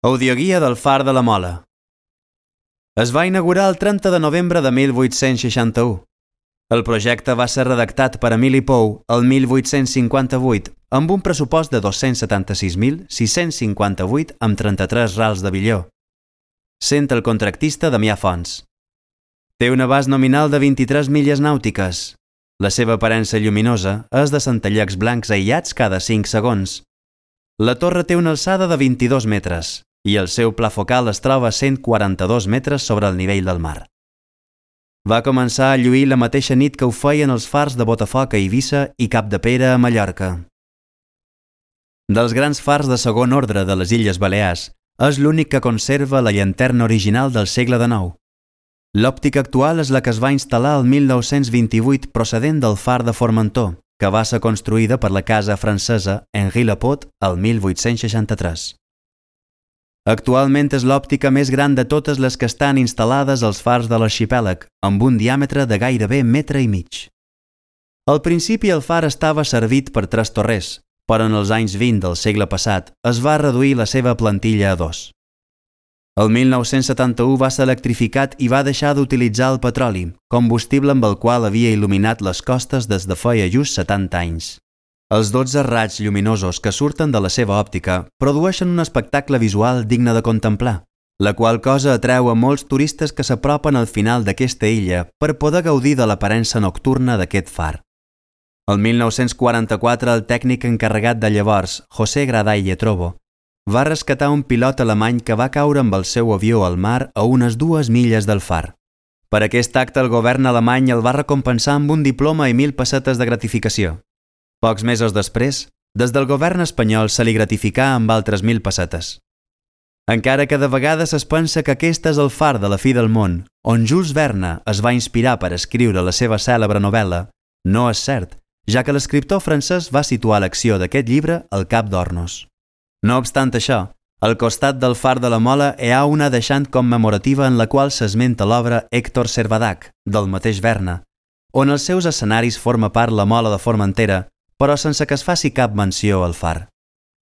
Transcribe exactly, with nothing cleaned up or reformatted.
Audioguia del Far de la Mola. Es va inaugurar el trenta de novembre de mil vuit-cents seixanta-u. El projecte va ser redactat per Emili Pou el mil vuit-cents cinquanta-vuit amb un pressupost de dos-cents setanta-sis mil sis-cents cinquanta-vuit amb trenta-tres rals de billó, sent el contractista Damià Fons. Té un abast nominal de vint-i-tres milles nàutiques. La seva aparença lluminosa és de centellecs blancs aïllats cada cinc segons. La torre té una alçada de vint-i-dos metres i el seu pla focal es troba a cent quaranta-dos metres sobre el nivell del mar. Va començar a lluir la mateixa nit que ho feien els fars de Botafoc a Eivissa i Capdepera a Mallorca. Dels grans fars de segon ordre de les Illes Balears, és l'únic que conserva la llanterna original del segle dinou. L'òptica actual és la que es va instal·lar el mil nou-cents vint-i-vuit procedent del far de Formentor, que va ser construïda per la casa francesa Henri Lepot el mil vuit-cents seixanta-tres. Actualment és l'òptica més gran de totes les que estan instal·lades als fars de l'arxipèlag, amb un diàmetre de gairebé metre i mig. Al principi el far estava servit per tres torrers, però en els anys vint del segle passat es va reduir la seva plantilla a dos. El mil nou-cents setanta-u va ser electrificat i va deixar d'utilitzar el petroli, combustible amb el qual havia il·luminat les costes des de feia just setanta anys. Els dotze raigs lluminosos que surten de la seva òptica produeixen un espectacle visual digne de contemplar, la qual cosa atreu a molts turistes que s'apropen al final d'aquesta illa per poder gaudir de l'aparença nocturna d'aquest far. El mil nou-cents quaranta-quatre el tècnic encarregat de llavors, José Graday Lletrobo, va rescatar un pilot alemany que va caure amb el seu avió al mar a unes dues milles del far. Per aquest acte el govern alemany el va recompensar amb un diploma i mil pessetes de gratificació. Pocs mesos després, des del govern espanyol se li gratificà amb altres mil pessetes. Encara que de vegades es pensa que aquest és el far de la fi del món, on Jules Verne es va inspirar per escriure la seva cèlebre novel·la, no és cert, ja que l'escriptor francès va situar l'acció d'aquest llibre al Cap d'Hornos. No obstant això, al costat del far de la Mola hi ha una deixant commemorativa en la qual s'esmenta l'obra Héctor Servadac, del mateix Verne, on els seus escenaris forma part la Mola de Formentera, però sense que es faci cap menció al far.